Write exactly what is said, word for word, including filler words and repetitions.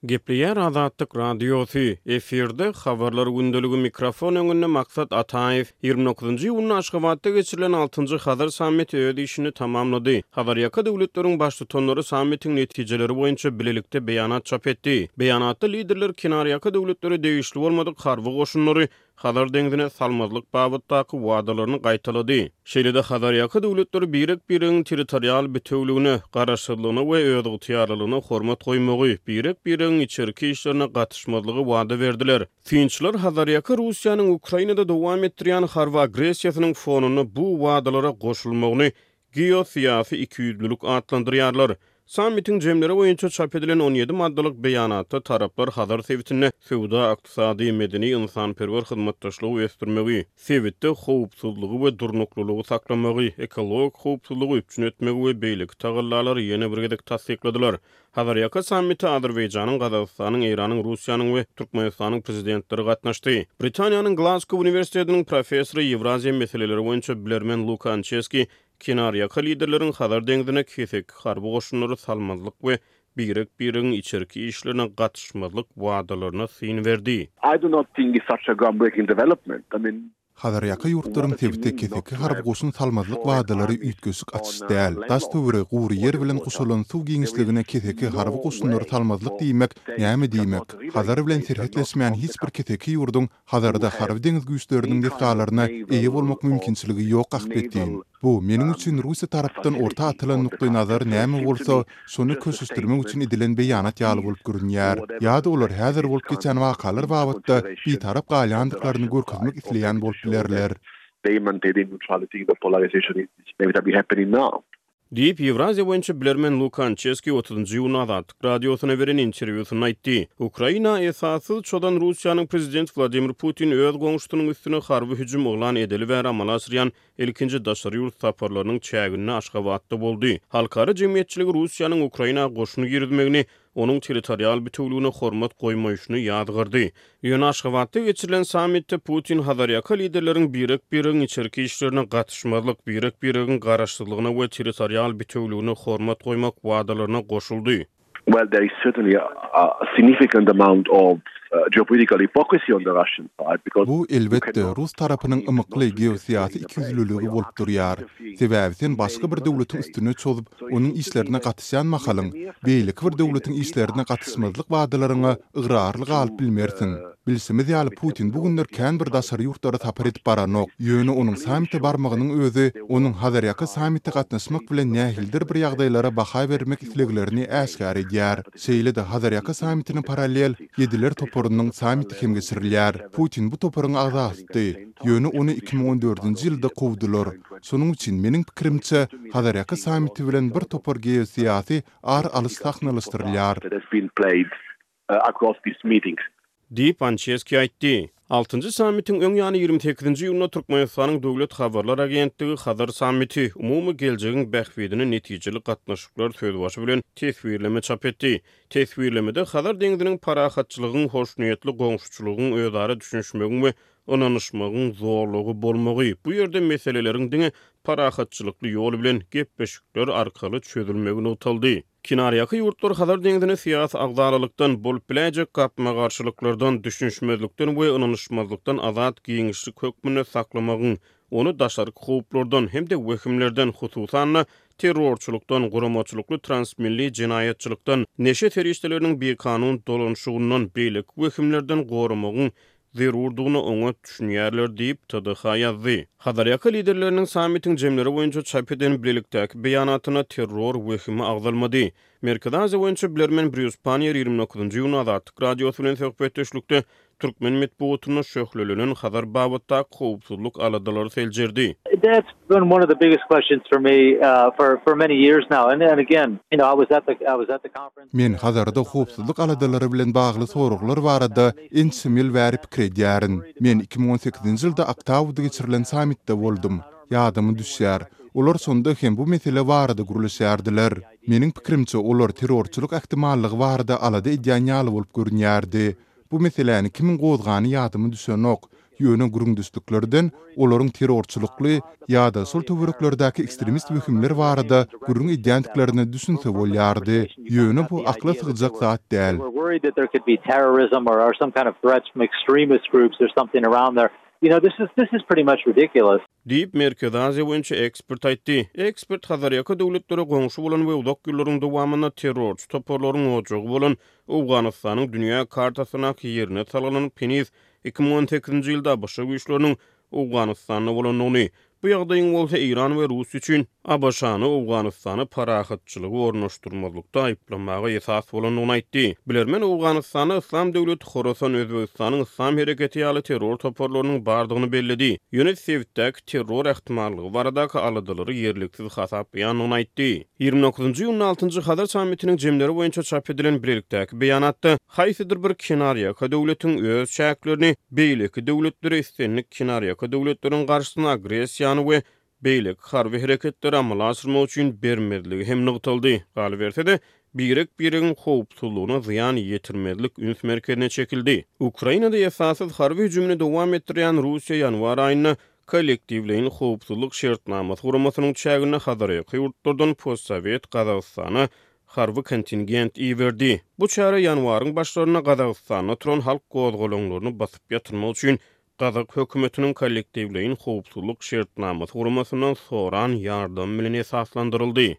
Gepleýär Azatlyk Radiosy, efirde Habarlar gündeligi, mikrofon öňünde Maksat Ataýew. Ýigrimi dokuzynjy iýunda Aşgabatda geçirilen altynjy Hazar sammiti öz işini tamamlady. Hazarýaka döwletleriň baştutanlary sammitiň netijeleri boýunça bilelikde beýanat çap etdi. Beýanatda liderler kenarýaka döwletlere degişli bolmadyk harby goşunlary Hazar deňzine salmazlyk babatdaky wadalaryny gaýtalady. Şeýle-de Hazarýaka döwletleri birek-biregiň territorial bitewüligine, garaşsyzlygyna we özygtyýarlylygyna hormat goýmagy, birek-biregiň içerki işlerine gatyşmazlygy wada berdiler. Synçylar Hazarýaka Russiýanyň Ukrainada dowam etdirýän harby agressiýasynyň fonunda bu wadalara goşulmagyny geosyýasy ikiýüzlülik atlandyrýarlar. Sammitiň jemleri boýunça çap edilen on ýedi maddalyk beýanatda taraplar Hazar sebitinde söwda-ykdysady, medeni-ynsanperwer hyzmatdaşlygy ösdürmegi, sebitde howpsuzlygy we durnuklylygy saklamagy, ekologik howpsuzlygy üpjün etmegi we beýleki tagallalary ýene bir gezek tassykladylar. Hazarýaka sammite Azerbaýjanyň, Gazagystanyň, Eýranyň, Russiýanyň we Türkmenistanyň prezidentleri gatnaşdy. Britaniýanyň Glasgow uniwersitetiniň professory, Ýewraziýa meseleleri boýunça bilermen Luka Ançeski kenarýaka liderleriň Hazar deňzine keseki harby goşunlary salmazlyk we birek-biregiň içerki işlerine gatyşmazlyk wadalaryna syn berdi. I do not think it's such a groundbreaking development. I mean, Hazarýaka ýurtlaryň sebite keseki harby goşun salmazlyk wadalary üýtgeşik açyş däl. Daş-töweregi gury ýer bilen gurşalan suw giňişligine keseki harby goşunlary salmazlyk diýmek näme diýmek? Hazar bilen serhetleşmeýän hiç bir keseki ýurduň Hazarda harby deňiz güýçleriniň desgalaryna eýe bolmak mümkinçiligi ýok ahbetin. Bu meniň üçin Russiýa tarapdan orta atylan nukdaýnazar näme bolsa, şony köşeşdirmek üçin edilen beýanat ýaly bolup görünýär. Ýa-da olar häzir bolup geçen wakalar babatda bitarap galýandyklaryny görkezmek isleýän bolup bilerler. They maintain neutrality, the polarization is inevitably happening now. Diýip, Ýewraziýa boýunça bilermen Luka Ançeski otuzynjy iýunda Azatlyk Radiosyna beren interwýusynda aýtdy. Ukraina esassyz çozan Russiýanyň prezidenti Wladimir Putin öz goňşusynyň üstüne harby hüjüm yglan edeli bäri amala aşyrýan ilkinji daşary ýurt saparlarynyň çäginde Aşgabatda boldy. Halkara jemgyýetçiligi Russiýanyň Ukraina goşun girizmegini, onuň territorial bitewüligine hormat goýmaýşyny ýazgardy. Ýöne Aşgabatda geçirilen sammitde Putin Hazarýaka liderleriň birek-biregiň içerki işlerine gatyşmazlyk, birek-biregiň garaşsyzlygyna we territorial bitewüligine hormat goýmak wadalaryna goşuldy. Well, there is certainly a, a significant amount of uh, geopolitical hypocrisy on the Russian side because Bu elbetde rus tarapynyň ymykly geosyýasy ikiýüzlüligi bolup durýar. Sebäbi sen başga bir döwletiň üstüne çozup, onuň işlerine gatyşýan mahalyň, beýleki bir döwletiň işlerine gatyşmazlyk wadalaryňa ygrarly galyp bilmersiň. Bilşimiz ýaly Putin bu günler kän bir daşary ýurtlara sapar edip baranok. Ýöne onuň sammite barmagynyň özi onuň Hazarýaka sammite gatnaşmak bilen nähilidir bir ýagdaýlara baha bermek isleglerini äşgär edýär. Şeýle-de Hazarýaka sammitine parallel Ýediler toparynyň sammiti hem geçirilýär. Putin bu toparyň agzasydy. Ýöne ony iki müň on dördünji ýylda kowdular. Şonuň üçin meniň pikirimçe Hazarýaka sammiti bilen bir topar geosyýasy ar alyş sahnalaşdyrylýar. Diýip, Ançeski aýtdy. Altynjy sammitiň öň ýany ýigrimi sekizinji iýunda Türkmenistanyň Döwlet habarlar agentligi Hazar sammiti, umumy geljegiň bähbidine netijeli gatnaşyklar sözbaşy bilen teswirleme çap etdi. Teswirlemede Hazar deňziniň parahatçylygyň, hoşniýetli goňşuçylygyň, özara düşünişmegiň we ynanyşmagyň zolagy bolmagy, bu ýerde meseleleriň diňe parahatçylykly ýol bilen gepleşikler arkaly çözülmegi nygtaldy. Kenarýaka ýurtlar Hazar deňzini syýasy agzalalykdan, bolup biläýjek gapma-garşylyklardan, düşünişmezlikden we ynanyşmazlykdan azat giňişlik hökmünde saklamagyň, ony daşarky howplardan hem-de wehimlerden, hususan-da terrorçylykdan, guramaçylykly transmilli jenaýatçylykdan, neşe serişdeleriniň bikanun dolanyşygyndan, beýleki wehimlerden goramagyň zerurdygyna oňat düşünýärler diýip, T D H ýazdy. Hazarýaka liderleriniň sammitiň jemleri boýunça çap eden bilelikdäki beýanatyna terror wehimi agzalmady. Merkezi Aziýa boýunça bilermen Brýus Panniýer ýigrimi dokuzynjy iýunda Azatlyk Radiosy bilen söhbetdeşlikde türkmen metbugatynda şöhlelenen Hazar babatdaky howpsuzlyk aladalary seljerdi. That's been one of the biggest questions for me, uh, for, for many years now. And, and again, you know, I was at the, I was at the conference. Men Hazarda howpsuzlyk aladalary bilen bagly soraglar barada ençeme ýyl bäri pikir edýärin. Men iki müň on sekizinji ýylda Aktauda geçirilen sammitde boldum. Ýadyma düşýär. Olar şonda hem bu mesele barada gürleşýärdiler. Meniň pikirimçe olar terrorçylyk ähtimallygy barada alada edýän ýaly bolup görünýärdi. Bu meseläni kimiň gozgany ýadyma düşenok. Ýöne gürrüňdeşliklerden olaryň terrorçylykly ýa-da şol töwereklerdäki ekstremist wehimler barada gürrüň edýändiklerine düşünse bolýardy. Ýöne bu akla sygjak zat däl. We're worried that there could be terrorism or, or some kind of threats from extremist groups or something around there. You know, this is this is pretty much ridiculous. Diýip, Merkezi Aziýa boýunça ekspert aýtdy. Ekspert Hazarýaka döwletlere goňşy bolan we uzak ýyllaryň dowamynda terrorçy toparlaryň ojagy bolan Owganystanyň dünýä kartasyndaky ýerine salgylanyp, heniz iki müň on sekizinji ýylda ABŞ güýçleriniň Owganystanda bolandygyny, bu ýagdaýyň bolsa Eýran we Russiýa üçin ABŞ-ny Owganystana parahatçylygy ornaşdyrmazlykda aýyplamaga esas bolandygyny aýtdy. Bilermen Owganystanda Yslam döwleti Horasan, Özbegistanyň Yslam hereketi ýaly terror toparlarynyň bardygyny belledi. Ýöne sebitdäki terror ähtimallygy baradaky aladalary ýerliksiz hasaplaýandygyny aýtdy. Ýigrimi dokuzynjy iýunda altynjy Hazar sammitiniň jemleri boýunça çap edilen bilelikdäki beýanatda haýsydyr bir kenarýaka döwletiň öz çäklerini beýleki döwletlere islendik kenarýaka döwletleriň garşysyna agressiýany we beýleki harby hereketleri amala aşyrmak üçin bermezligi hem nygtaldy. Galyberse-de, birek-biregiň howpsuzlygyna zyýan ýetirmezlik üns merkezine çekildi. Ukrainada esassyz harby hüjümini dowam etdirýän Russiýa ýanwar aýynda kollektiwleýin howpsuzlyk şertnamasy guramasynyň çäginde Hazarýaka ýurtlardan postsowet Gazagystana harby kontingent iberdi. Bu çäre ýanwaryň başlarynda Gazagystanda turan halk gozgalaňlaryny basyp ýatyrmak üçin Gazak hökümetiniň kollektiwleýin howpsuzlyk şertnamasy guramasyndan soran ýardam bilen esaslandyryldy.